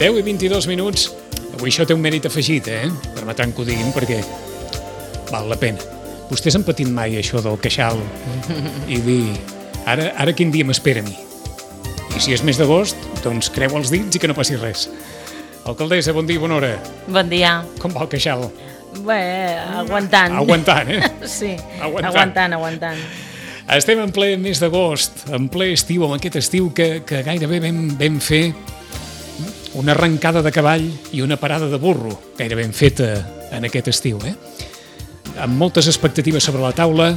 10:22. Avui això té un mèrit afegit, Permetran que ho diguin perquè val la pena. Vostès han patit mai això del queixal i dir, ara quin dia m'espera a mi? I si és mes d'agost, doncs creu els dits i que no passi res. Alcaldessa, bon dia i bona hora. Bon dia. Com va el queixal? Bé, aguantant. Aguantant, Sí, aguantant. Estem en ple mes d'agost, en ple estiu, amb aquest estiu que gairebé vam fer una arrencada de cavall i una parada de burro, gairebé ben feta en aquest estiu, Amb moltes expectatives sobre la taula,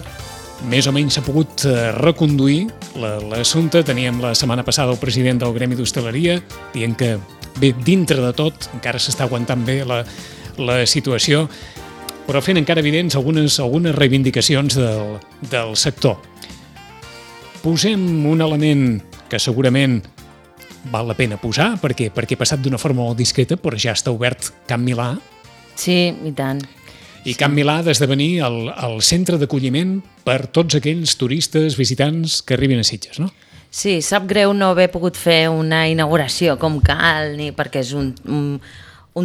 més o menys s'ha pogut reconduir l'assumpte. Teníem la setmana passada el president del Gremi d'Hostaleria dient que, bé, dintre de tot, encara s'està aguantant bé la situació, però fent encara evidents algunes reivindicacions del sector. Posem un element que segurament val la pena posar, perquè ha passat d'una forma molt discreta, però ja està obert Can Milà. Sí, i tant. I Can Milà ha d'esdevenir el centre d'acolliment per tots aquells turistes, visitants que arribin a Sitges, no? Sí, sap greu no haver pogut fer una inauguració com cal, ni perquè és un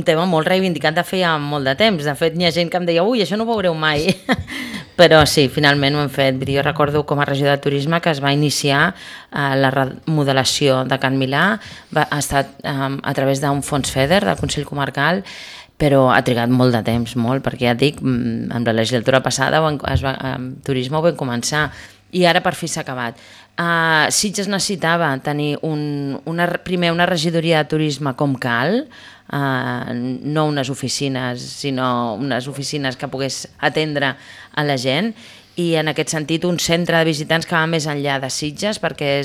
tema molt reivindicat de feia molt de temps. De fet, hi ha gent que em deia, ui, això no ho veureu mai. Però sí, finalment ho hem fet. Jo recordo com a regidor de turisme que es va iniciar la remodelació de Can Milà, ha estat a través d'un fons FEDER, del Consell Comarcal, però ha trigat molt de temps, molt, perquè ja et dic, amb la legislatura passada amb turisme ho vam començar i ara per fi s'ha acabat. Sitges necessitava tenir primer una regidoria de turisme com cal, no unes oficines, sinó unes oficines que pogués atendre a la gent, i en aquest sentit un centre de visitants que va més enllà de Sitges, perquè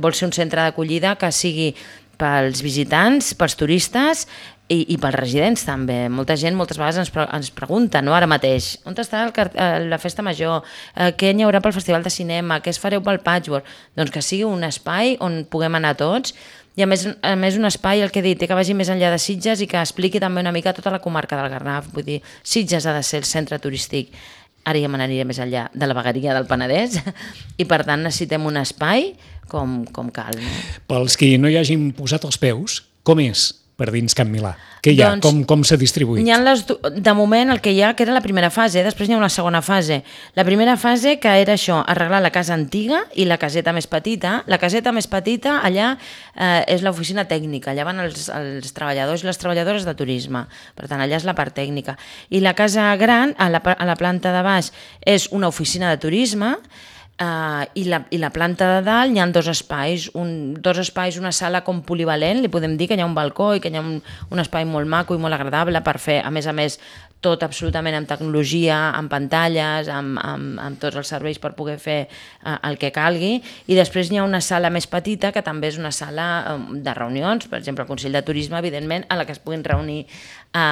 vol ser un centre d'acollida que sigui pels visitants, pels turistes i pels residents també. Molta gent moltes vegades ens pregunta, no, ara mateix, on està la festa major, què hi haurà pel festival de cinema, què es fareu pel patchwork? Doncs que sigui un espai on puguem anar tots, i a més un espai, el que he dit, que vagi més enllà de Sitges i que expliqui també una mica tota la comarca del Garraf. Vull dir, Sitges ha de ser el centre turístic, ara ja m'aniria més enllà de la vegueria del Penedès, i per tant necessitem un espai com cal. No? Pels que no hi hagin posat els peus, com és per dins Can Milà? Què hi ha? Doncs, com s'ha distribuït? De moment el que hi ha, que era la primera fase, després hi ha una segona fase. La primera fase que era això, arreglar la casa antiga i la caseta més petita. La caseta més petita allà és l'oficina tècnica, allà van els treballadors i les treballadores de turisme, per tant allà és la part tècnica. I la casa gran, a la planta de baix, és una oficina de turisme, i la planta de dalt hi ha dos espais, una sala com polivalent, li podem dir que hi ha un balcó i que hi ha un espai molt maco i molt agradable per fer, a més, tot absolutament amb tecnologia, amb pantalles, amb tots els serveis per poder fer el que calgui, i després hi ha una sala més petita que també és una sala de reunions, per exemple el Consell de Turisme, evidentment, a la que es puguin reunir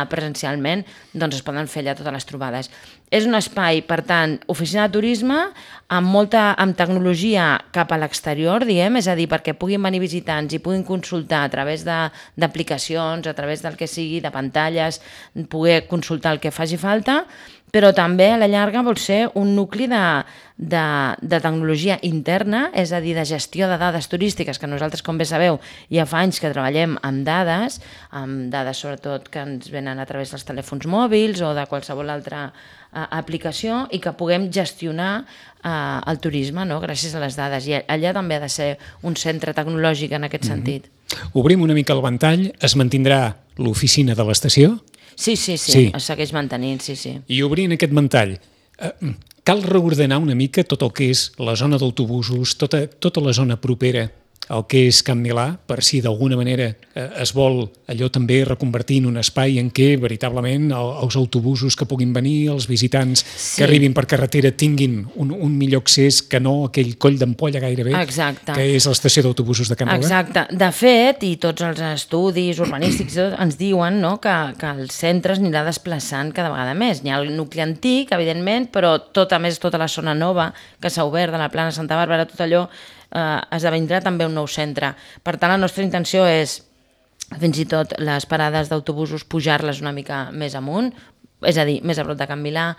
presencialment, doncs es poden fer allà totes les trobades. És un espai, per tant, oficina de turisme amb tecnologia cap a l'exterior, diguem, és a dir, perquè puguin venir visitants i puguin consultar a través d'aplicacions, a través del que sigui, de pantalles, poder consultar el que faci falta, però també a la llarga vol ser un nucli de tecnologia interna, és a dir, de gestió de dades turístiques, que nosaltres, com bé sabeu, ja fa anys que treballem amb dades sobretot que ens venen a través dels telèfons mòbils o de qualsevol altra aplicació, i que puguem gestionar el turisme, no?, gràcies a les dades. I allà també ha de ser un centre tecnològic en aquest sentit. Obrim una mica el ventall, es mantindrà l'oficina de l'estació? Sí, es segueix mantenint, sí. I obrint aquest ventall, cal reordenar una mica tot el que és la zona d'autobusos, tota la zona propera el que és Can Milà, per si d'alguna manera es vol allò també reconvertir en un espai en què veritablement els autobusos que puguin venir, els visitants que arribin per carretera tinguin un millor accés que no aquell coll d'ampolla gairebé, que és l'estació d'autobusos de Can Milà. Exacte. De fet, i tots els estudis urbanístics ens diuen, no, que el centre es anirà desplaçant cada vegada més. Hi ha el nucli antic, evidentment, però tota la zona nova que s'ha obert de la Plana Santa Bàrbara, tot allò esdevindrà també un nou centre. Per tant, la nostra intenció és fins i tot les parades d'autobusos pujar-les una mica més amunt, és a dir, més a prop de Can Milà.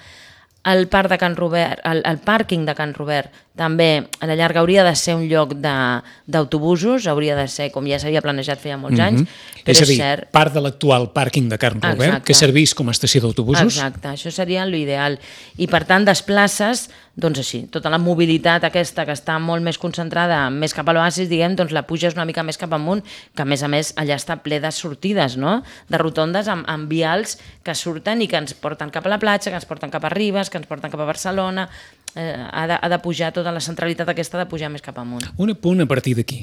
El pàrquing de Can Robert també a la llarga hauria de ser un lloc d'autobusos, hauria de ser com ja s'havia planejat feia molts anys, però és a dir, cert... part de l'actual pàrquing de Can Robert, que servís com a estació d'autobusos. Exacte, això seria l'ideal. I per tant desplaces, doncs així, tota la mobilitat aquesta que està molt més concentrada, més cap a l'oasis, diguem, doncs la puges una mica més cap amunt, que a més allà està ple de sortides, no? De rotondes amb vials que surten i que ens porten cap a la platja, que ens porten cap a Ribes, que ens porten cap a Barcelona. Ha de pujar tota la centralitat aquesta, de pujar més cap amunt. Un apunt a partir d'aquí.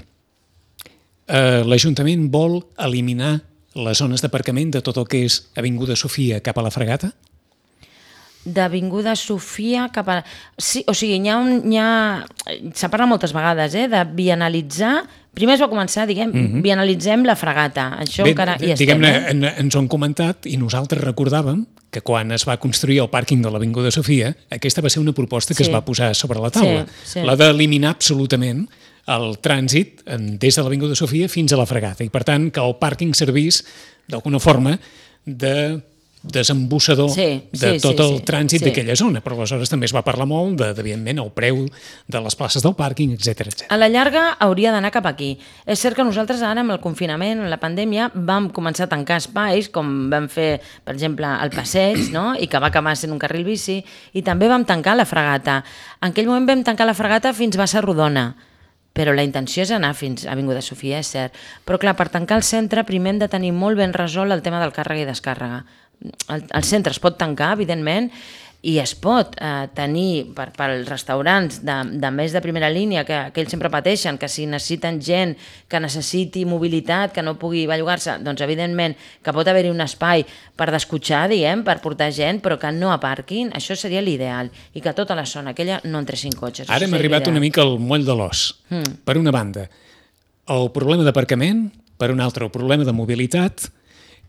L'Ajuntament vol eliminar les zones d'aparcament de tot el que és Avinguda Sofia cap a la Fregata? D'Avinguda Sofia cap a... Sí, o sigui, s'ha parlat moltes vegades, de bienalitzar... Primer es va començar, diguem, bienalitzem la Fregata. Això encara hi estem. Diguem-ne, ens ho han comentat i nosaltres recordàvem que quan es va construir el pàrquing de l'Avinguda Sofia, aquesta va ser una proposta que es va posar sobre la taula. La d'eliminar absolutament el trànsit des de l'Avinguda Sofia fins a la Fregata i, per tant, que el pàrquing servís d'alguna forma de desembussador de tot el trànsit d'aquella zona, però aleshores també es va parlar molt evidentment, el preu de les places del pàrquing, etc. A la llarga hauria d'anar cap aquí. És cert que nosaltres ara amb el confinament, amb la pandèmia, vam començar a tancar espais, com vam fer, per exemple, el passeig, no? I que va acabar sent un carril bici, i també vam tancar la Fregata. En aquell moment vam tancar la Fregata fins a Bassa Rodona, però la intenció és anar fins a Avinguda Sofia, és cert. Però clar, per tancar el centre primer hem de tenir molt ben resolt el tema del càrrega i descàrrega. El centre es pot tancar, evidentment, i es pot tenir pels restaurants de més de primera línia, que ells sempre pateixen, que si necessiten gent que necessiti mobilitat, que no pugui bellugar-se, doncs evidentment que pot haver-hi un espai per descotxar, diguem, per portar gent, però que no aparquin, això seria l'ideal, i que tota la zona aquella no entressin cotxes. Ara hem arribat una mica al moll de l'os. Per una banda, el problema d'aparcament, per una altra, el problema de mobilitat,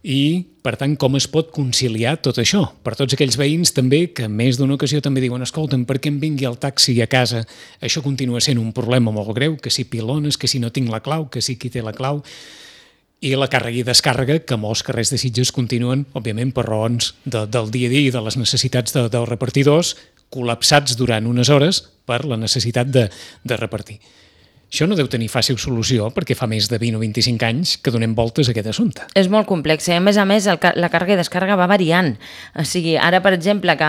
i, per tant, com es pot conciliar tot això? Per tots aquells veïns també que més d'una ocasió també diuen escolta'm, per què em vingui el taxi a casa? Això continua sent un problema molt greu, que si pilones, que si no tinc la clau, que si qui té la clau, i la càrrega i descàrrega, que molts carrers de Sitges continuen, òbviament, per raons del dia a dia i de les necessitats dels repartidors, col·lapsats durant unes hores per la necessitat de repartir. Això no deu tenir fàcil solució perquè fa més de 20 o 25 anys que donem voltes a aquest assumpte. És molt complex. A més, la càrrega i descàrrega va variant. O sigui, ara, per exemple, que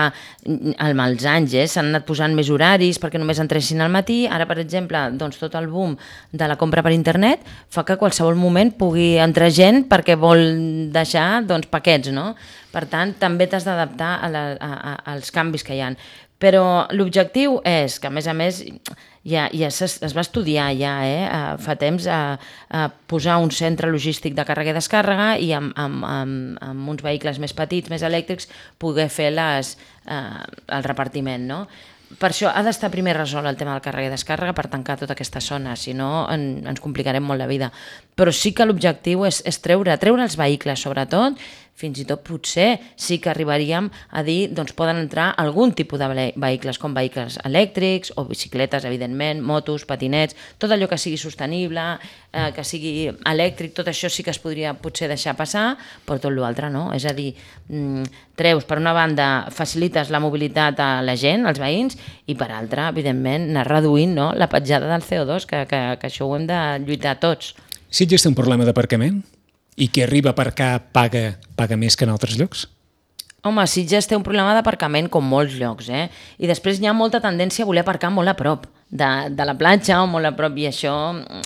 amb els anys s'han anat posant més horaris perquè només entressin al matí, ara, per exemple, doncs, tot el boom de la compra per internet fa que a qualsevol moment pugui entrar gent perquè vol deixar paquets, no? Per tant, també t'has d'adaptar als canvis que hi ha. Però l'objectiu és que, a més, ja es va estudiar fa temps a posar un centre logístic de càrrega i descàrrega i amb uns vehicles més petits, més elèctrics, poder fer el repartiment, no? Per això ha d'estar primer resolt el tema del càrrega i descàrrega per tancar tota aquesta zona, si no ens complicarem molt la vida. Però sí que l'objectiu és treure els vehicles, sobretot, fins i tot potser sí que arribaríem a dir doncs poden entrar algun tipus de vehicles, com vehicles elèctrics o bicicletes, evidentment, motos, patinets, tot allò que sigui sostenible, que sigui elèctric, tot això sí que es podria potser deixar passar, però tot l'altre no. És a dir, treus, per una banda, facilites la mobilitat a la gent, als veïns, i per altra, evidentment, anar reduint la petjada del CO2, que això ho hem de lluitar tots. Sitges té un problema d'aparcament? I qui arriba a aparcar paga més que en altres llocs? Home, Sitges té un problema d'aparcament com molts llocs, i després hi ha molta tendència a voler aparcar molt a prop de la platja o molt a prop, i això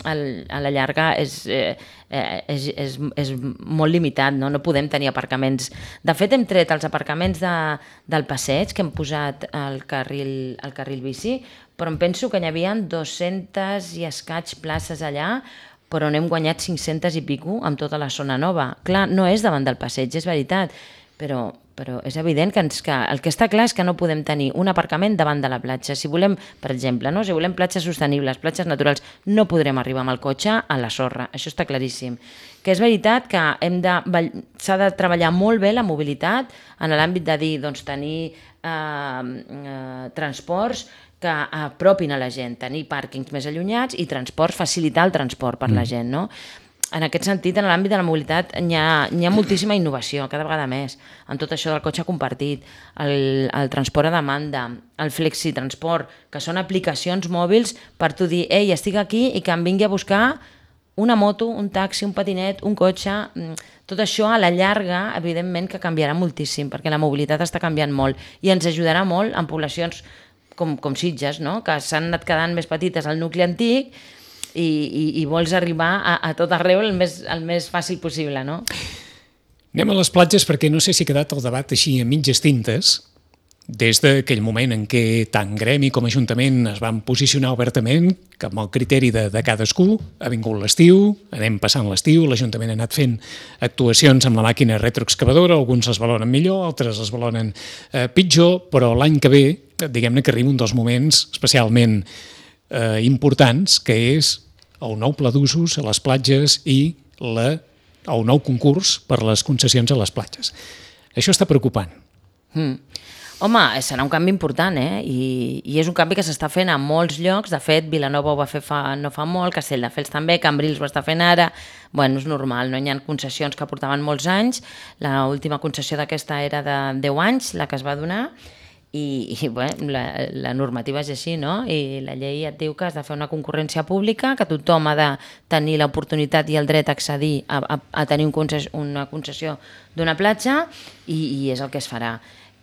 a la llarga és molt limitat, no podem tenir aparcaments. De fet, hem tret els aparcaments del passeig, que hem posat el carril bici, però em penso que n'hi havia 200 i escaig places allà, però n'hem guanyat 500 i pico amb tota la zona nova. Clar, no és davant del passeig, és veritat, però és evident que el que està clar és que no podem tenir un aparcament davant de la platja. Si volem, per exemple, si volem platges sostenibles, platges naturals, no podrem arribar amb el cotxe a la sorra, això està claríssim. Que és veritat que s'ha de treballar molt bé la mobilitat en l'àmbit de dir, tenir transports que apropin a la gent, tenir pàrquings més allunyats i facilitar el transport per la gent, no? en aquest sentit, en l'àmbit de la mobilitat, hi ha moltíssima innovació, cada vegada més, en tot això del cotxe compartit, el transport a demanda, el flexitransport, que són aplicacions mòbils per tu dir, ei, estic aquí i que em vingui a buscar una moto, un taxi, un patinet, un cotxe, tot això a la llarga, evidentment que canviarà moltíssim, perquè la mobilitat està canviant molt i ens ajudarà molt en poblacions com Sitges, no? Que s'han anat quedant més petites al nucli antic i vols arribar a tot arreu el més fàcil possible, no? Anem a les platges perquè no sé si ha quedat el debat així a mitges tintes, des d'aquell moment en què tant Gremi com Ajuntament es van posicionar obertament que amb el criteri de cadascú. Ha vingut l'estiu, anem passant l'estiu, l'Ajuntament ha anat fent actuacions amb la màquina retroexcavadora, alguns les valoren millor, altres les valoren pitjor, però l'any que ve, diguem-ne que arriba un dels moments especialment importants, que és el nou pla d'usos a les platges i el nou concurs per les concessions a les platges. Això està preocupant. Home, serà un canvi important, I és un canvi que s'està fent a molts llocs. De fet, Vilanova ho va fer no fa molt, Castelldefels també, Cambrils ho està fent ara. Bueno, és normal, no? Hi ha concessions que portaven molts anys. L'última concessió d'aquesta era de 10 anys, la que es va donar, i bueno, la normativa és així, no? I la llei et diu que has de fer una concurrència pública, que tothom ha de tenir l'oportunitat i el dret a accedir a tenir una concessió d'una platja, i és el que es farà.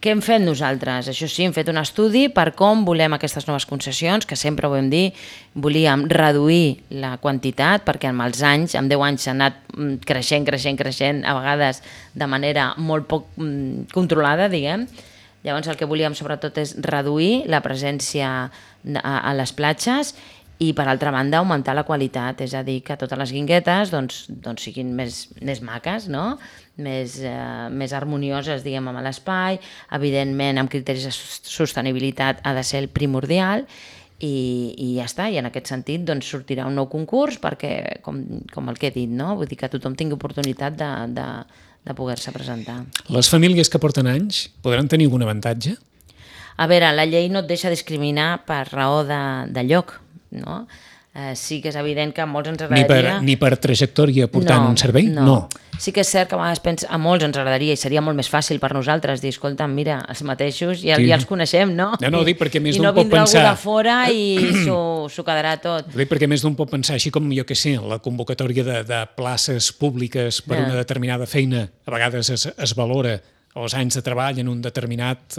Què hem fet nosaltres? Això sí, hem fet un estudi per com volem aquestes noves concessions, que sempre ho vam dir, volíem reduir la quantitat, perquè amb els anys, amb 10 anys s'ha anat creixent, a vegades de manera molt poc controlada, diguem. Llavors el que volíem sobretot és reduir la presència a les platges i, per altra banda, augmentar la qualitat, és a dir, que totes les guinguetes siguin més maques, no? Més harmonioses, diguem, amb l'espai. Evidentment, amb criteris de sostenibilitat ha de ser el primordial, i ja està. I en aquest sentit sortirà un nou concurs perquè, com el que he dit, no? Vull dir que tothom tingui oportunitat de poder-se presentar. Les famílies que porten anys podran tenir algun avantatge? A veure, la llei no et deixa discriminar per raó de lloc, no? Sí que és evident que a molts ens agradaria... Ni per trajectòria portant un servei? No. Sí que és cert que a vegades a molts ens agradaria, i seria molt més fàcil per nosaltres dir, escolta, mira, els mateixos ja els coneixem, no? No, dic perquè més d'un pot pensar... I no vindrà algú de fora i s'ho quedarà tot. Dic perquè més d'un pot pensar, així com, jo què sé, la convocatòria de places públiques per una determinada feina, a vegades es valora els anys de treball en un determinat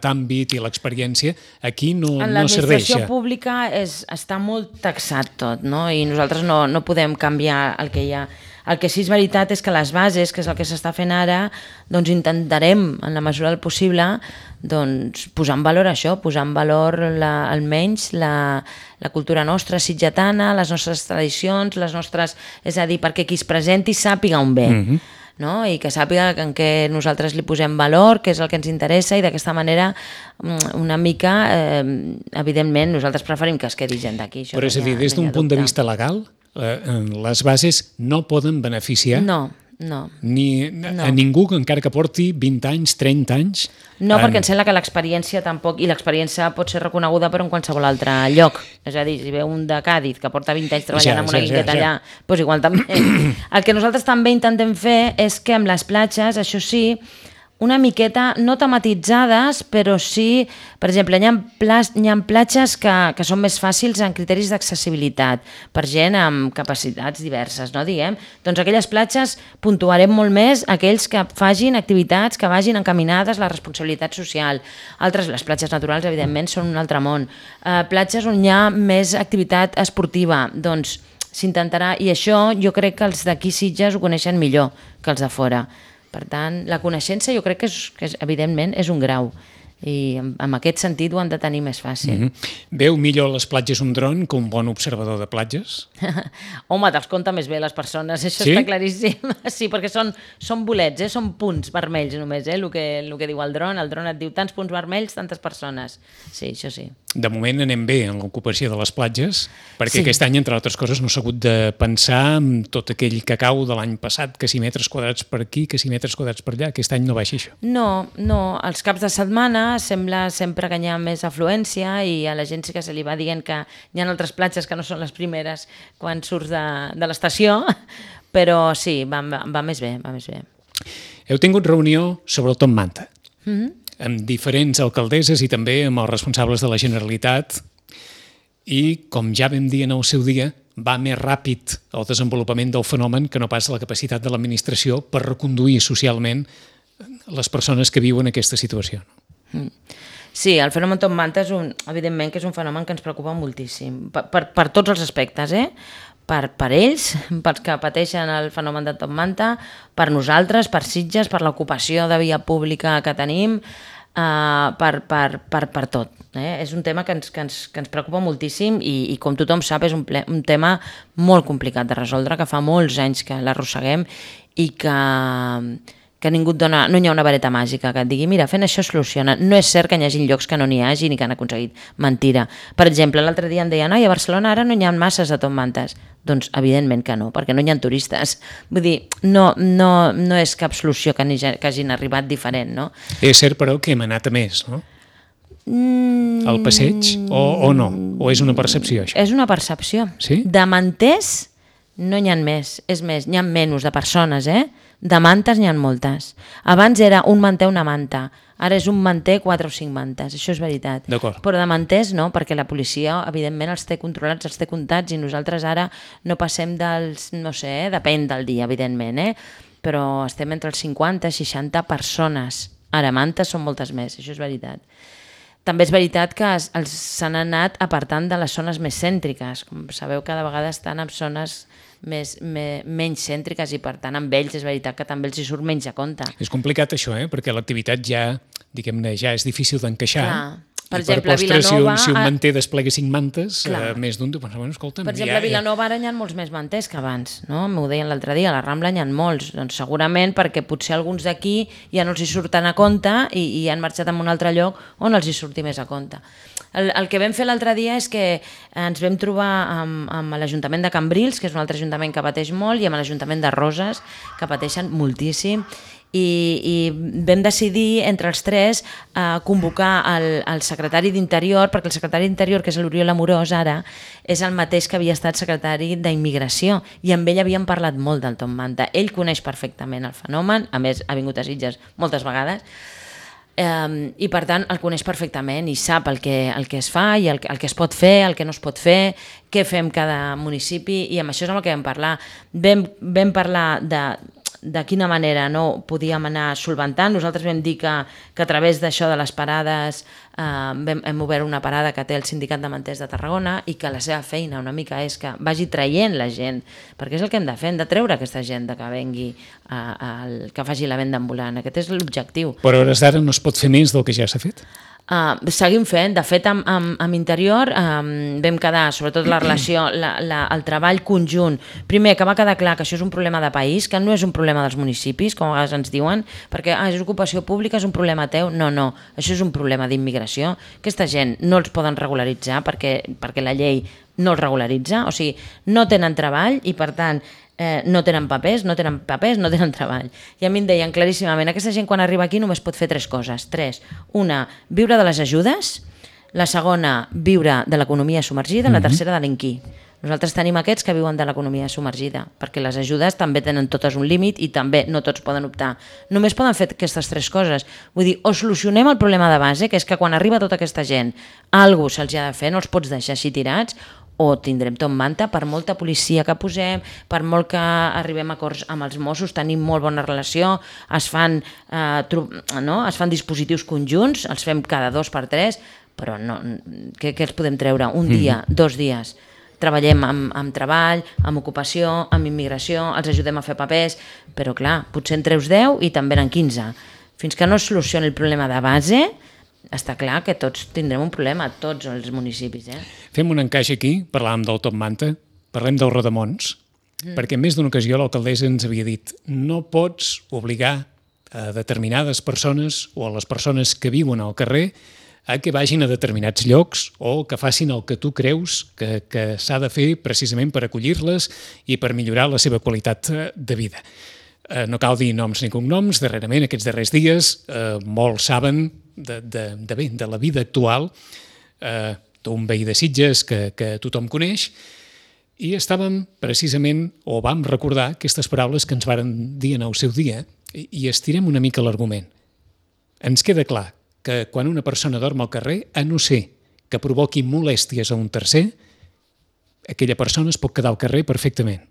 àmbit i l'experiència, aquí no serveix. En l'administració pública està molt taxat tot, no? I nosaltres no podem canviar el que hi ha. El que sí és veritat és que les bases, que és el que s'està fent ara, intentarem, en la mesura del possible, posar en valor això, posar en valor almenys la cultura nostra sitgetana, les nostres tradicions, és a dir, perquè qui es presenti sàpiga on ve. No? I que sàpiga en què nosaltres li posem valor, què és el que ens interessa, i d'aquesta manera una mica, evidentment, nosaltres preferim que es quedi gent d'aquí. Però és a dir, des d'un punt de vista legal, les bases no poden beneficiar no. a ningú, encara que porti 20 anys, 30 anys. No, perquè em sembla que l'experiència tampoc, i l'experiència pot ser reconeguda per en qualsevol altre lloc. És a dir, si ve un de Càdiz que porta 20 anys treballant amb una guingueta allà, doncs igual també. El que nosaltres també intentem fer és que amb les platges, això sí, una miqueta, no tematitzades, però sí, per exemple, hi ha platges que són més fàcils en criteris d'accessibilitat, per gent amb capacitats diverses, no diguem? Doncs aquelles platges puntuarem molt més aquells que facin activitats que vagin encaminades a la responsabilitat social. Altres, les platges naturals, evidentment, són un altre món. Platges on hi ha més activitat esportiva, doncs s'intentarà, i això jo crec que els d'aquí Sitges ho coneixen millor que els de fora. Per tant, la coneixença jo crec que evidentment és un grau, i en aquest sentit ho han de tenir més fàcil. Veu millor les platges un dron que un bon observador de platges? Home, te'ls compta més bé les persones, això està claríssim. Sí, perquè són bolets, són punts vermells només, el que diu el dron et diu tants punts vermells, tantes persones. Sí, això sí. De moment anem bé en l'ocupació de les platges, perquè aquest any, entre altres coses, no s'ha hagut de pensar en tot aquell cacau de l'any passat, que si metres quadrats per aquí, que si metres quadrats per allà. Aquest any no va així, això. No, els caps de setmana dia sembla sempre que hi ha més afluència i a la gent sí que se li va dient que hi ha altres platges que no són les primeres quan surts de l'estació, però sí, va més bé, va més bé. Heu tingut reunió sobre el Top Manta, amb diferents alcaldesses i també amb els responsables de la Generalitat, i, com ja vam dir en el seu dia, va més ràpid el desenvolupament del fenomen que no pas la capacitat de l'administració per reconduir socialment les persones que viuen aquesta situació. Sí, el fenomen Top Manta evidentment que és un fenomen que ens preocupa moltíssim, per tots els aspectes, per ells, pels que pateixen el fenomen de Top Manta, per nosaltres, per Sitges, per l'ocupació de via pública que tenim, per tot. És un tema que ens preocupa moltíssim i com tothom sap és un tema molt complicat de resoldre, que fa molts anys que l'arrosseguem i que ningú et dona, no hi ha una vareta màgica que et digui mira, fent això es soluciona. No és cert que hi hagi llocs que no n'hi hagi ni que han aconseguit. Mentira. Per exemple, l'altre dia em deien a Barcelona ara no hi ha masses de Top Mantes. Doncs evidentment que no, perquè no hi ha turistes. Vull dir, no és cap solució que hagin arribat diferent, no? És cert, però, que hem anat a més, no? Al passeig o no? O és una percepció, això? És una percepció. Sí? De manters no n'hi ha més. És més, n'hi ha menys de persones, De mantes n'hi ha moltes. Abans era un manter, una manta. Ara és un manter, 4 o 5 mantes. Això és veritat. D'acord. Però de manters no, perquè la policia, evidentment, els té controlats, els té comptats i nosaltres ara no passem dels, no sé, depèn del dia, evidentment, però estem entre els 50 i 60 persones. Ara, mantes són moltes més, això és veritat. També és veritat que s'han anat apartant de les zones més cèntriques. Com sabeu, cada vegada estan en zones menys cèntriques i per tant amb ells és veritat que també els hi surt menys a compte. És complicat això, perquè l'activitat ja, diguem-ne, ja és difícil d'encaixar. Per exemple, a Vilanova... Si un manter desplega 5 mantes, més d'un... Bueno, escolta'm, per exemple, a Vilanova ara hi ha molts més manters que abans, no? M'ho deien l'altre dia, a la Rambla hi ha molts. Doncs segurament perquè potser alguns d'aquí ja no els hi surten a compte i han marxat a un altre lloc on els hi surti més a compte. El que vam fer l'altre dia és que ens vam trobar amb l'Ajuntament de Cambrils, que és un altre ajuntament que pateix molt, i amb l'Ajuntament de Roses, que pateixen moltíssim, i vam decidir entre els tres convocar el secretari d'Interior, perquè el secretari d'Interior, que és l'Oriol Amorós ara, és el mateix que havia estat secretari d'Immigració i amb ell havíem parlat molt del Top Manta. Ell coneix perfectament el fenomen, a més ha vingut a Sitges moltes vegades, i per tant el coneix perfectament i sap el que es fa i el que es pot fer, el que no es pot fer, què fem cada municipi, i amb això és amb el que vam parlar. Vam parlar de quina manera no podíem anar solventant. Nosaltres vam dir que a través d'això de les parades hem obert una parada que té el Sindicat de Manters de Tarragona i que la seva feina una mica és que vagi traient la gent, perquè és el que hem de fer, hem de treure aquesta gent que vengui, que faci la venda ambulant. Aquest és l'objectiu. Però a hores d'ara no es pot fer més del que ja s'ha fet? Seguim fent. De fet, amb Interior vam quedar, sobretot la relació, el treball conjunt. Primer, que va quedar clar que això és un problema de país, que no és un problema dels municipis, com a vegades ens diuen, perquè és ocupació pública, és un problema teu. No, això és un problema d'immigració. Aquesta gent no els poden regularitzar perquè la llei no els regularitza, o sigui, no tenen treball i per tant no tenen papers, no tenen treball. I a mi em deien claríssimament, aquesta gent quan arriba aquí només pot fer 3 coses. 3. Una, viure de les ajudes. La segona, viure de l'economia submergida. La tercera, delinquir. Nosaltres tenim aquests que viuen de l'economia submergida, perquè les ajudes també tenen totes un límit i també no tots poden optar. Només poden fer aquestes 3 coses. Vull dir, o solucionem el problema de base, que és que quan arriba tota aquesta gent, alguna cosa se'ls ha de fer, no els pots deixar així tirats, o tindrem Top Manta per molta policia que posem, per molt que arribem a acords amb els Mossos, tenim molt bona relació, es fan dispositius conjunts, els fem cada 2 per 3, però què els podem treure? Un dia, 2 dies. Treballem amb treball, amb ocupació, amb immigració, els ajudem a fer papers, però clar, potser en treus 10 i també en 15. Fins que no es solucioni el problema de base, està clar que tots tindrem un problema, tots els municipis. Fem un encaix aquí, parlàvem del Top Manta, parlem dels rodamons, perquè en més d'una ocasió l'alcaldessa ens havia dit no pots obligar a determinades persones o a les persones que viuen al carrer a que vagin a determinats llocs o que facin el que tu creus que s'ha de fer precisament per acollir-les i per millorar la seva qualitat de vida. No cal dir noms ni cognoms, darrerament, aquests darrers dies, molts saben de la vida actual d'un veí de Sitges que tothom coneix, i estàvem precisament, o vam recordar aquestes paraules que ens varen dir en el seu dia, i estirem una mica l'argument. Ens queda clar que quan una persona dorm al carrer, a no ser que provoqui molèsties a un tercer, aquella persona es pot quedar al carrer perfectament.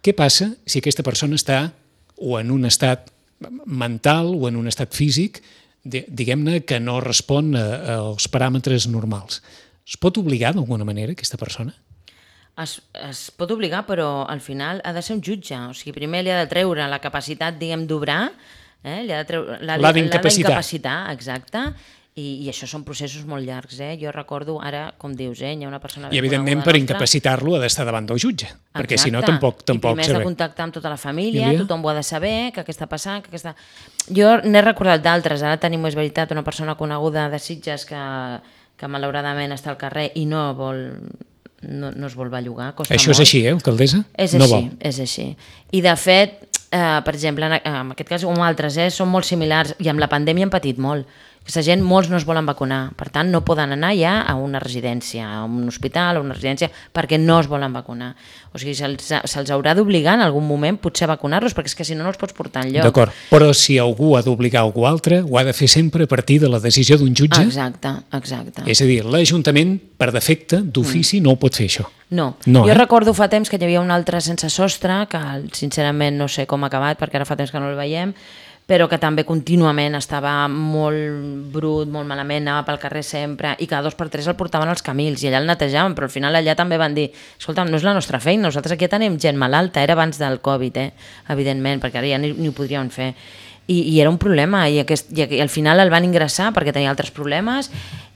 Què passa si aquesta persona està o en un estat mental o en un estat físic, diguem-ne, que no respon als paràmetres normals? Es pot obligar d'alguna manera aquesta persona? Es pot obligar, però al final ha de ser un jutge. O sigui, primer li ha de treure la capacitat, diguem, d'obrar, l'ha d'incapacitar, exacte, i això són processos molt llargs. Jo recordo ara, com dius, hi ha una persona... I evidentment per incapacitar-lo ha d'estar davant del jutge, perquè si no tampoc... I primer has de contactar amb tota la família, tothom ho ha de saber, què està passant, Jo n'he recordat d'altres, ara tenim, és veritat, una persona coneguda de Sitges que malauradament està al carrer i no es vol bellugar, costa molt. Això és així, alcaldessa? És així, és així. I de fet, per exemple, en aquest cas, com altres, són molt similars, i amb la pandèmia hem patit molt. Aquesta gent, molts no es volen vacunar, per tant no poden anar ja a una residència, a un hospital, a una residència, perquè no es volen vacunar. O sigui, se'ls haurà d'obligar en algun moment potser a vacunar-los, perquè és que si no, no els pots portar enlloc. D'acord, però si algú ha d'obligar algú altre, ho ha de fer sempre a partir de la decisió d'un jutge? Exacte. És a dir, l'Ajuntament, per defecte, d'ofici, no ho pot fer, això. No. Jo recordo fa temps que hi havia un altre sense sostre, que sincerament no sé com ha acabat, perquè ara fa temps que no el veiem, però que també contínuament estava molt brut, molt malament, anava pel carrer sempre, i cada 2 per 3 el portaven als camins, i allà el netejaven, però al final allà també van dir, escolta'm, no és la nostra feina, nosaltres aquí tenim gent malalta, era abans del Covid, evidentment, perquè ara ja ni ho podríem fer. I era un problema, i al final el van ingressar perquè tenia altres problemes,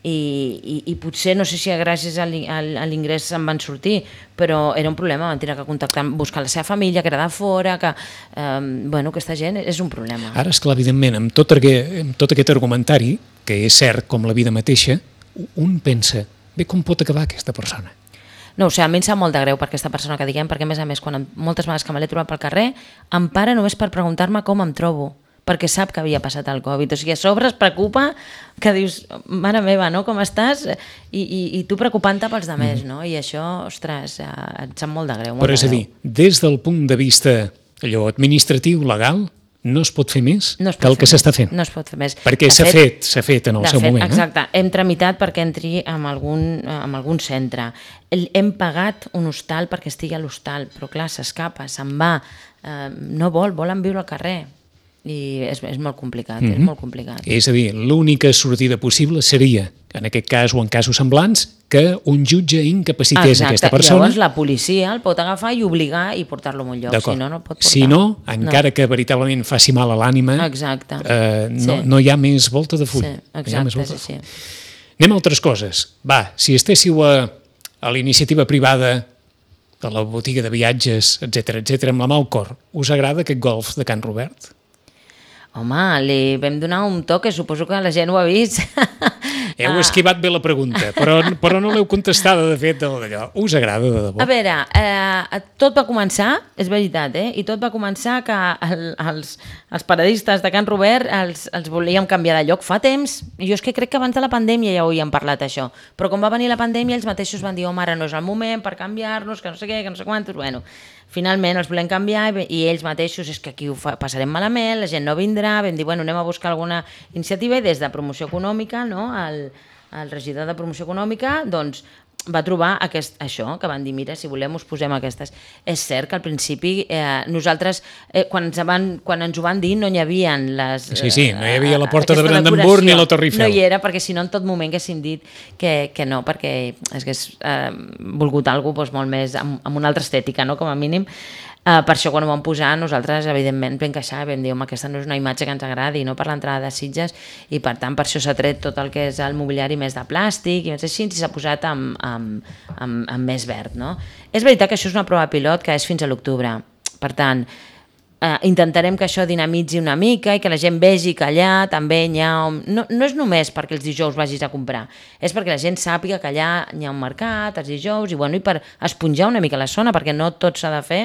i potser, no sé si gràcies a l'ingrés se'n van sortir, però era un problema, van tenir que contactar, buscar la seva família, que era de fora, que aquesta gent és un problema. Ara, esclar, evidentment, amb tot aquest argumentari, que és cert com la vida mateixa, un pensa, bé, com pot acabar aquesta persona? No ho sé, a mi em sap molt de greu per aquesta persona que diguem, perquè a més, moltes vegades que me l'he trobat pel carrer, em para només per preguntar-me com em trobo, perquè sap que havia passat el Covid. O sigui, a sobre es preocupa, que dius, mare meva, no? Com estàs? I tu preocupant-te pels altres, no? I això, ostres, et sap molt de greu. Però és a dir, des del punt de vista administratiu, legal, no es pot fer més que el que s'està fent. No es pot fer més. Perquè s'ha fet en el seu moment. Exacte, hem tramitat perquè entri en algun centre. Hem pagat un hostal perquè estigui a l'hostal, però clar, s'escapa, se'n va, no volen viure al carrer. I és molt complicat, és molt complicat. És a dir, l'única sortida possible seria, en aquest cas o en casos semblants, que un jutge incapacités aquesta persona. Llavors la policia el pot agafar i obligar i portar-lo a un lloc, si no, no el pot portar. Si no, encara que veritablement faci mal a l'ànima, no hi ha més volta de full. Exacte, és així. Anem a altres coses. Va, si estéssiu a la iniciativa privada, a la botiga de viatges, etc, amb la mà al cor, us agrada aquest golf de Can Robert? Home, li vam donar un toc, que suposo que la gent ho ha vist. Heu esquivat bé la pregunta, però no l'heu contestada, de fet, d'allò. Us agrada, de debò? A veure, tot va començar, és veritat, i tot va començar que els paradistes de Can Robert els volíem canviar de lloc fa temps, i jo és que crec que abans de la pandèmia ja ho havíem parlat, això, però com va venir la pandèmia ells mateixos van dir, home, ara no és el moment per canviar-nos, que no sé què, que no sé quantos, bueno, finalment els volem canviar i ells mateixos és que aquí ho passarem malament, la gent no vindrà, vam dir, bueno, anem a buscar alguna iniciativa i des de promoció econòmica, no, el regidor de promoció econòmica, doncs va trobar això, que van dir, mira, si volem us posem aquestes. És cert que al principi nosaltres, quan ens ho van dir, no hi havia les... Sí, no hi havia la porta de Brandenburg ni la Torre Eiffel. No hi era, perquè si no en tot moment haguéssim dit que no, perquè hagués volgut alguna cosa molt més, amb una altra estètica, no?, com a mínim. Per això quan ho vam posar nosaltres evidentment vam queixar, vam dir, home, aquesta no és una imatge que ens agradi, no, per l'entrada de Sitges, i per tant per això s'ha tret tot el que és el mobiliari més de plàstic i més així, i s'ha posat amb més verd, no? És veritat que això és una prova pilot que és fins a l'octubre, per tant intentarem que això dinamitzi una mica i que la gent vegi que allà també hi ha... No és només perquè els dijous vagis a comprar, és perquè la gent sàpiga que allà hi ha un mercat els dijous i per esponjar una mica la zona, perquè no tot s'ha de fer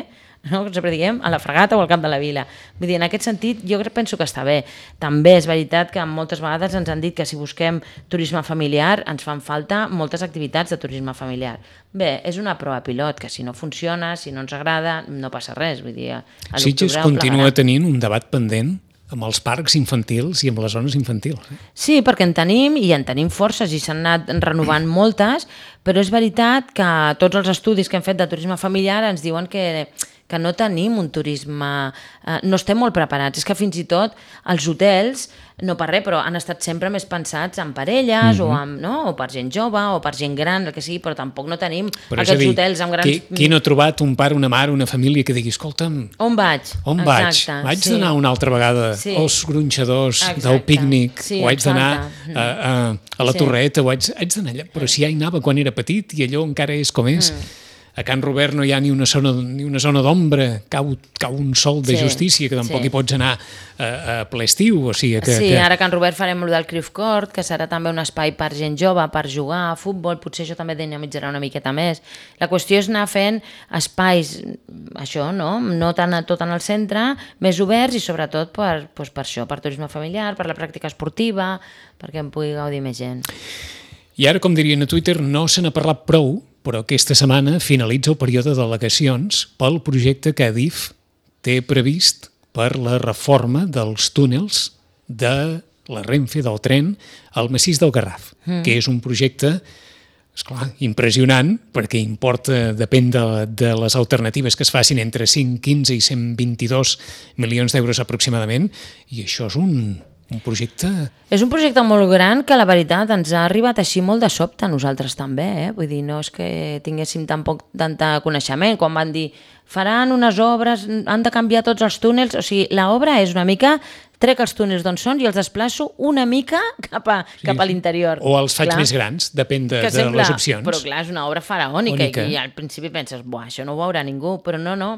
no? Que sempre diguem, a la Fragata o al Camp de la Vila. Vull dir, en aquest sentit, jo penso que està bé. També és veritat que moltes vegades ens han dit que si busquem turisme familiar ens fan falta moltes activitats de turisme familiar. Bé, és una prova pilot, que si no funciona, si no ens agrada, no passa res. Vull dir, Sitges continua tenint un debat pendent amb els parcs infantils i amb les zones infantils. Sí, perquè en tenim forces i s'han anat renovant moltes, però és veritat que tots els estudis que hem fet de turisme familiar ens diuen que no tenim un turisme... no estem molt preparats. És que fins i tot els hotels, no per res, però han estat sempre més pensats en parelles o per gent jove o per gent gran, el que sigui, però tampoc no tenim aquests hotels amb grans... Qui no ha trobat un pare, una mare, una família que digui, escolta'm... On vaig? Vaig d'anar una altra vegada als gronxadors del pícnic, o haig d'anar a la Torreta, o haig d'anar allà, però si ja hi anava quan era petit i allò encara és com és. A Can Robert no hi ha ni una zona d'ombra, cau un sol de justícia, que tampoc hi pots anar a ple estiu. O sigui ara a Can Robert farem el del Cruyff Court, que serà també un espai per gent jove, per jugar a futbol, potser això també dinamitzarà una miqueta més. La qüestió és anar fent espais, això, no tant tot en el centre, més oberts i sobretot per això, per turisme familiar, per la pràctica esportiva, perquè en pugui gaudir més gent. I ara, com dirien a Twitter, no se n'ha parlat prou, però aquesta setmana finalitza el període d'al·legacions pel projecte que Adif té previst per la reforma dels túnels de la Renfe, del tren, al massís del Garraf, que és un projecte, esclar, impressionant, perquè depèn de les alternatives que es facin entre 5, 15 i 122 milions d'euros aproximadament, i això és un projecte... És un projecte molt gran que la veritat ens ha arribat així molt de sobte a nosaltres també, Vull dir, no és que tinguéssim tampoc tanta coneixement, quan van dir faran unes obres, han de canviar tots els túnels, o sigui, l'obra és una mica, trec els túnels d'on són i els desplaço una mica cap a l'interior. O els faig més grans, depèn de les opcions. Però clar, és una obra faraònica i al principi penses, això no ho veurà ningú, però no.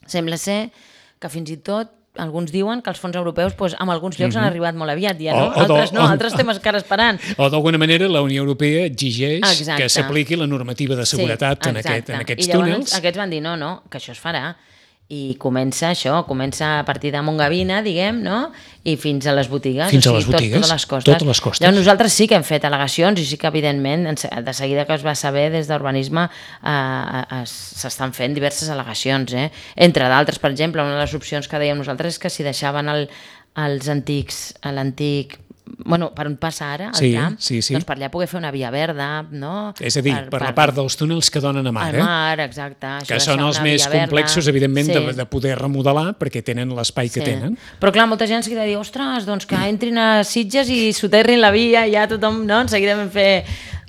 Sembla ser que fins i tot alguns diuen que els fons europeus en alguns llocs han arribat molt aviat ja, no? Altres estem encara esperant. O d'alguna manera la Unió Europea exigeix que s'apliqui la normativa de seguretat en aquests túnels. I llavors aquests van dir no, que això es farà. I comença a partir de Montgavina, diguem, no? I fins a les botigues. Fins a les botigues, totes les costes. Llavors nosaltres sí que hem fet al·legacions i sí que evidentment, de seguida que es va saber des d'Urbanisme s'estan fent diverses al·legacions. Entre d'altres, per exemple, una de les opcions que dèiem nosaltres és que si deixaven l'antic per on passa ara, el tram, doncs per allà poder fer una via verda, no? És a dir, per la part dels túnels que donen a mar. Al mar, exacte. Que són els més complexos, evidentment, de poder remodelar, perquè tenen l'espai que tenen. Però clar, molta gent s'ha de dir, ostres, doncs que entrin a Sitges i soterrin la via, i ja tothom, no? En seguida vam fer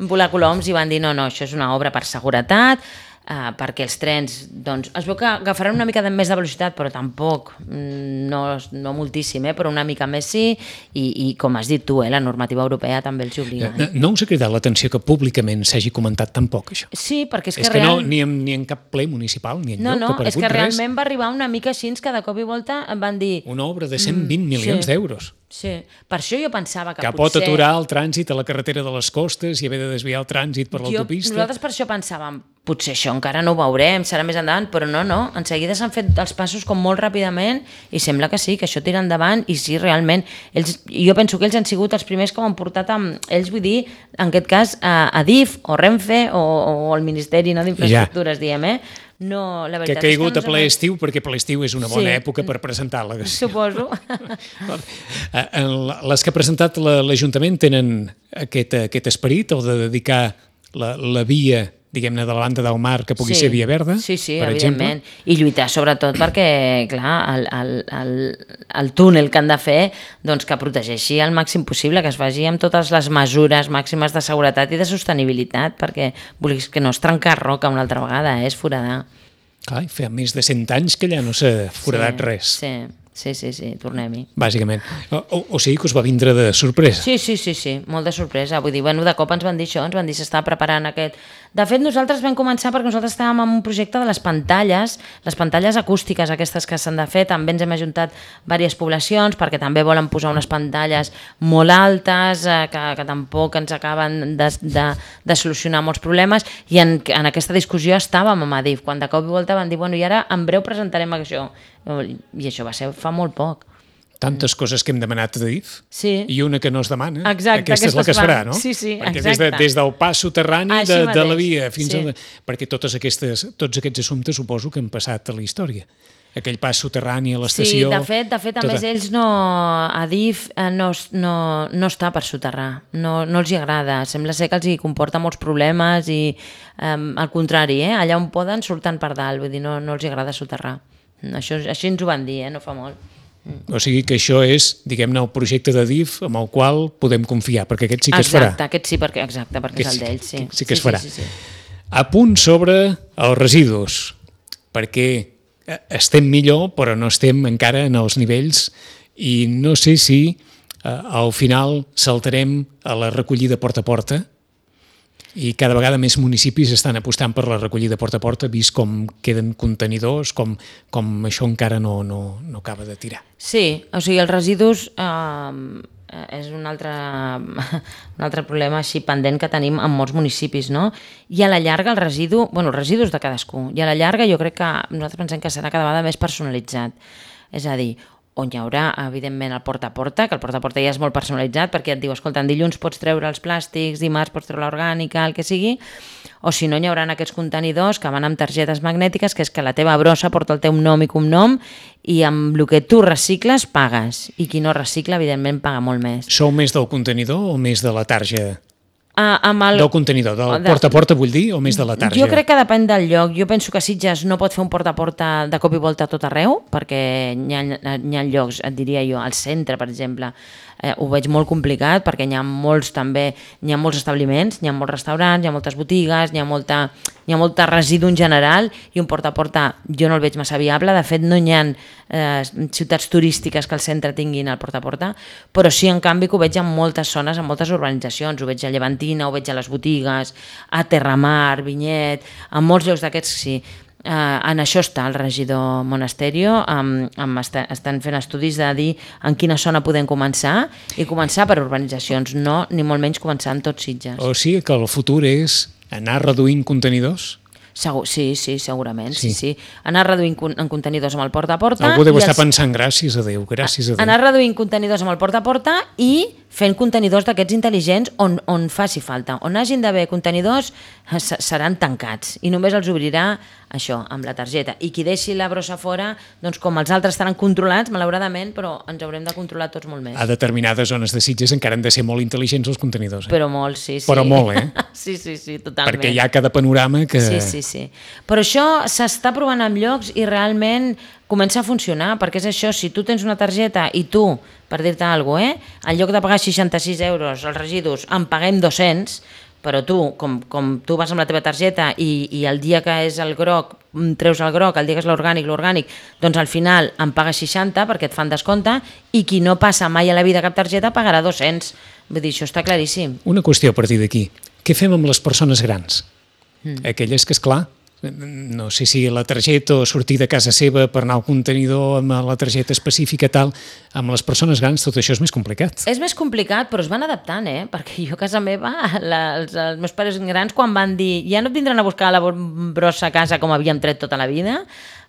volar coloms i van dir, no, això és una obra per seguretat, perquè els trens, doncs, es veu que agafaran una mica més de velocitat, però tampoc, no moltíssim, però una mica més sí, i com has dit tu, la normativa europea també els hi obliga. No us ha cridat l'atenció que públicament s'hagi comentat tampoc, això? Sí, perquè és que realment... ni en cap ple municipal, ni enlloc, no, és que realment va arribar una mica així, que de cop i volta em van dir... Una obra de 120 milions d'euros. Sí, per això jo pensava que potser... Que pot aturar el trànsit a la carretera de les costes i haver de desviar el trànsit per l'autopista. Nosaltres per això pensàvem, potser això encara no ho veurem, serà més endavant, però no, en seguida s'han fet els passos com molt ràpidament i sembla que sí, que això tira endavant i sí, realment, jo penso que ells han sigut els primers que ho han portat amb ells, vull dir, en aquest cas, a DIF o Renfe o el Ministeri d'Infraestructures, diem, No, la veritat que ha caigut a ple estiu, perquè ple estiu és una bona època per presentar la... Suposo. Les que ha presentat l'Ajuntament tenen aquest esperit, el de dedicar la via, diguem-ne, de la banda del mar, que pugui ser via verda, sí, per evidentment. Exemple. I lluitar sobretot perquè, clar, el túnel que han de fer, doncs que protegeixi al màxim possible, que es faci amb totes les mesures màximes de seguretat i de sostenibilitat, perquè volies que no es trencar roca una altra vegada, és foradar. Clar, fa més de 100 anys que allà no s'ha foradat res. Sí, tornem-hi. Bàsicament. O sigui que us va vindre de sorpresa. Sí, molt de sorpresa. Vull dir, de cop ens van dir això, ens van dir s'està preparant aquest De fet, nosaltres vam començar perquè nosaltres estàvem en un projecte de les pantalles acústiques aquestes que s'han de fer, també ens hem ajuntat diverses poblacions perquè també volen posar unes pantalles molt altes que tampoc ens acaben de solucionar molts problemes, i en aquesta discussió estàvem amb Adif, quan de cop i volta van dir, bueno, i ara en breu presentarem això, i això va ser fa molt poc. Tantes coses que hem demanat a DIF i una que no es demana. Exacte, aquesta és la que es farà, no? Sí, perquè exacte. Des del pas soterrani de la via fins perquè tots aquests assumptes suposo que han passat a la història. Aquell pas soterrani a l'estació... Sí, de fet, a més ells a DIF no està per soterrar, no els hi agrada, sembla ser que els hi comporta molts problemes i al contrari, allà on poden surten per dalt, vull dir, no els hi agrada soterrar. Així ens ho van dir, no fa molt. O sigui que això és, diguem-ne, el projecte de DIF amb el qual podem confiar, perquè aquest sí que es farà. Exacte, aquest sí, perquè és el d'ells, sí. Sí que es farà. A punt sobre els residus, perquè estem millor, però no estem encara en els nivells, i no sé si al final saltarem a la recollida porta a porta, i cada vegada més municipis estan apostant per la recollida porta a porta, vist com queden contenidors, com això encara no acaba de tirar. Sí, o sigui, els residus és un altre problema així pendent que tenim en molts municipis, no? I a la llarga els residus de cadascú, i a la llarga jo crec que nosaltres pensem que serà cada vegada més personalitzat, és a dir, on hi haurà, evidentment, el porta a porta, que el porta a porta ja és molt personalitzat, perquè et diu, escolta, en dilluns pots treure els plàstics, dimarts pots treure l'orgànica, el que sigui, o si no, hi haurà aquests contenidors que van amb targetes magnètiques, que és que la teva brossa porta el teu nom i cognom, i amb el que tu recicles pagues, i qui no recicla, evidentment, paga molt més. Sou més del contenidor o més de la tarja? Del contenidor, del porta a porta vull dir, o més de la tarja? Jo crec que depèn del lloc. Jo penso que Sitges no pot fer un porta a porta de cop i volta a tot arreu, perquè hi ha llocs, et diria jo, al centre, per exemple, ho veig molt complicat, perquè hi ha molts establiments, hi ha molts restaurants, hi ha moltes botigues, hi ha molta residu en general, i un porta a porta jo no el veig massa viable. De fet, no hi ha ciutats turístiques que al centre tinguin el porta a porta, però sí, en canvi, que ho veig en moltes zones, en moltes urbanitzacions, ho veig a Llevantina, ho veig a les botigues, a Terramar, Vinyet, en molts llocs d'aquests sí. En això està el regidor Monasterio, estan fent estudis de dir en quina zona podem començar, i començar per urbanitzacions, no ni molt menys començar en tots Sitges. O sigui que el futur és anar reduint contenidors? Sí, segurament, sí. Anar reduint en contenidors amb el porta a porta. Algú deu estar pensant, gràcies a Déu. Anar reduint contenidors amb el porta a porta i fent contenidors d'aquests intel·ligents on faci falta. On hagin d'haver contenidors seran tancats i només els obrirà això, amb la targeta. I qui deixi la brossa fora, doncs com els altres estaran controlats, malauradament, però ens haurem de controlar tots molt més. A determinades zones de Sitges encara han de ser molt intel·ligents els contenidors. Però molt, sí. Però molt, Sí, totalment. Perquè hi ha cada panorama que... Sí. Però això s'està provant en llocs i realment comença a funcionar, perquè és això, si tu tens una targeta i tu, per dir-te alguna cosa, en lloc de pagar 66 euros els residus, en paguem 200, però tu, com tu vas amb la teva targeta i el dia que és el groc, treus el groc, el dia que és l'orgànic, doncs al final en pagues 60 perquè et fan descompte, i qui no passa mai a la vida cap targeta pagarà 200. Vull dir, això està claríssim. Una qüestió a partir d'aquí. Què fem amb les persones grans? Aquelles que, esclar, no sé si la targeta o sortir de casa seva per anar al contenidor amb la targeta específica tal, amb les persones grans tot això és més complicat. És més complicat, però es van adaptant, perquè jo a casa meva, els meus pares grans quan van dir ja no et vindran a buscar la brossa a casa com havíem tret tota la vida,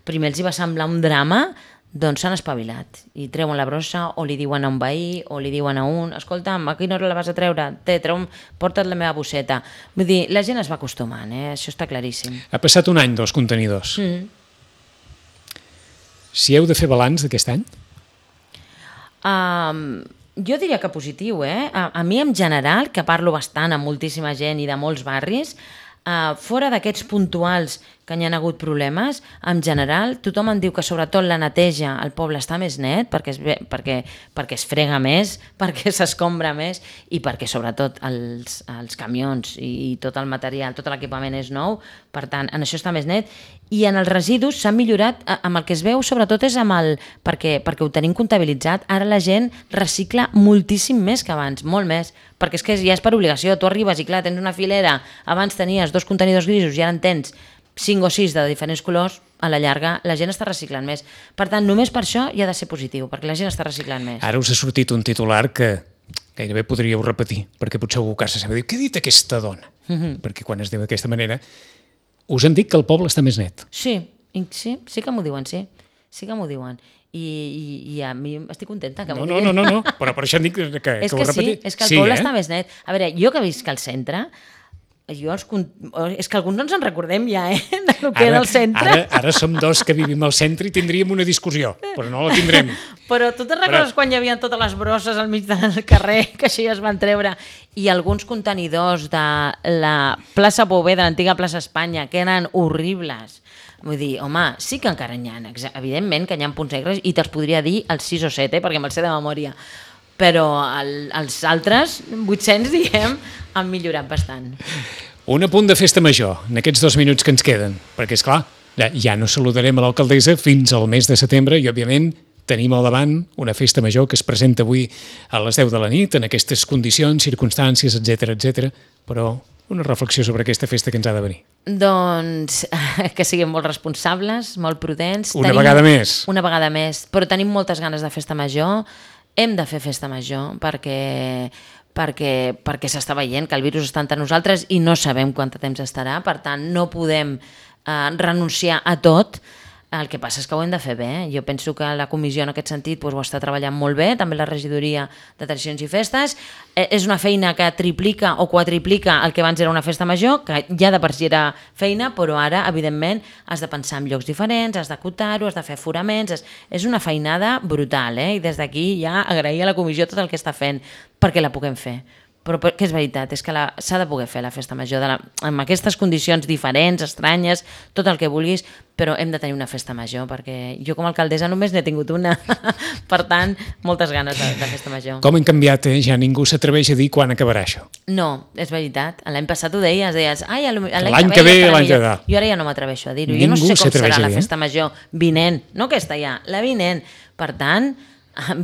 primer els hi va semblar un drama, doncs s'han espavilat i treuen la brossa, o li diuen a un veí o li diuen a un, escolta'm, a quina hora la vas a treure? Porta't la meva bosseta. Vull dir, la gent es va acostumant, això està claríssim. Ha passat un any dels contenidors. Si heu de fer balanç d'aquest any? Jo diria que positiu, A mi en general, que parlo bastant amb moltíssima gent i de molts barris, fora d'aquests puntuals que n'hi ha hagut problemes. En general, tothom em diu que sobretot la neteja al poble està més net perquè es frega més, perquè s'escombra més i perquè sobretot els camions i tot el material, tot l'equipament és nou, per tant, en això està més net. I en els residus s'han millorat, amb el que es veu sobretot és perquè ho tenim comptabilitzat, ara la gent recicla moltíssim més que abans, molt més, perquè és que ja és per obligació, tu arribes i clar, tens una filera, abans tenies 2 contenidors grisos i ara en tens 5 o 6 de diferents colors, a la llarga la gent està reciclant més. Per tant, només per això ja ha de ser positiu, perquè la gent està reciclant més. Ara us ha sortit un titular que gairebé podríeu repetir, perquè potser algú casa sempre diu, què ha dit aquesta dona? Perquè quan es diu d'aquesta manera, us han dit que el poble està més net. Sí que m'ho diuen, sí que m'ho diuen. I a mi estic contenta que m'ho diguin. No, però per això em dic que ho repetís. És que el poble està més net. A veure, jo que visc al centre, és que alguns no ens en recordem ja, del que era el centre. Ara som 2 que vivim al centre i tindríem una discussió, però no la tindrem. Però tu te'n recordes quan hi havia totes les brosses al mig del carrer, que així es van treure, i alguns contenidors de la plaça Bové, de l'antiga plaça Espanya, que eren horribles. Vull dir, home, sí que encara n'hi ha, evidentment que n'hi ha punts negres, i te'ls podria dir els 6 o 7, perquè me'ls sé de memòria. Però els altres, 800, diguem, han millorat bastant. Un apunt de festa major, en aquests 2 minuts que ens queden, perquè, és clar, ja no saludarem a l'alcaldessa fins al mes de setembre i, òbviament, tenim al davant una festa major que es presenta avui a les 10 de la nit, en aquestes condicions, circumstàncies, etc. Però una reflexió sobre aquesta festa que ens ha de venir. Doncs que siguem molt responsables, molt prudents. Una vegada més, però tenim moltes ganes de festa major. Hem de fer festa major perquè s'està veient que el virus està entre nosaltres i no sabem quant temps estarà, per tant no podem renunciar a tot. El que passa és que ho hem de fer bé. Jo penso que la comissió en aquest sentit ho està treballant molt bé, també la regidoria de tradicions i festes. És una feina que triplica o quadriplica el que abans era una festa major, que ja de per si era feina, però ara, evidentment, has de pensar en llocs diferents, has d'acotar-ho, has de fer aforaments. És una feinada brutal, i des d'aquí ja agrair a la comissió tot el que està fent perquè la puguem fer. Però que és veritat, és que s'ha de poder fer la festa major amb aquestes condicions diferents, estranyes, tot el que vulguis, però hem de tenir una festa major, perquè jo com a alcaldessa només n'he tingut una. Per tant, moltes ganes de festa major. Com hem canviat, Ja ningú s'atreveix a dir quan acabarà això. No, és veritat. L'any passat ho deies, l'any que ve, l'any que ve. Jo ara ja no m'atreveixo a dir-ho. Jo no sé com serà la festa major vinent, no aquesta ja, la vinent. Per tant,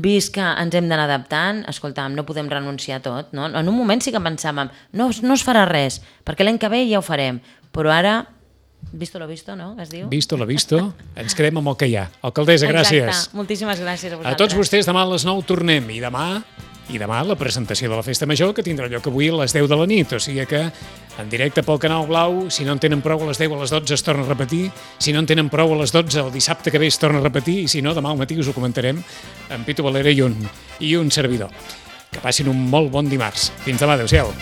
vist que ens hem d'anar adaptant, escolta'm, no podem renunciar a tot, no? En un moment sí que pensàvem, no es farà res, perquè l'any que ve ja ho farem, però ara, visto lo visto, no? Que es diu? Visto lo visto, ens quedem amb el que hi ha. Alcaldessa, gràcies. Exacte, moltíssimes gràcies a vosaltres. A tots vostès, demà a les 9 tornem, i demà la presentació de la Festa Major, que tindrà lloc avui a les 10 de la nit, o sigui que en directe pel Canal Blau, si no en tenen prou a les 10 a les 12 es torna a repetir, si no en tenen prou a les 12 el dissabte que ve es torna a repetir, i si no, demà al matí us ho comentarem amb Pitu Valera i un servidor. Que passin un molt bon dimarts. Fins demà, adéu-siau.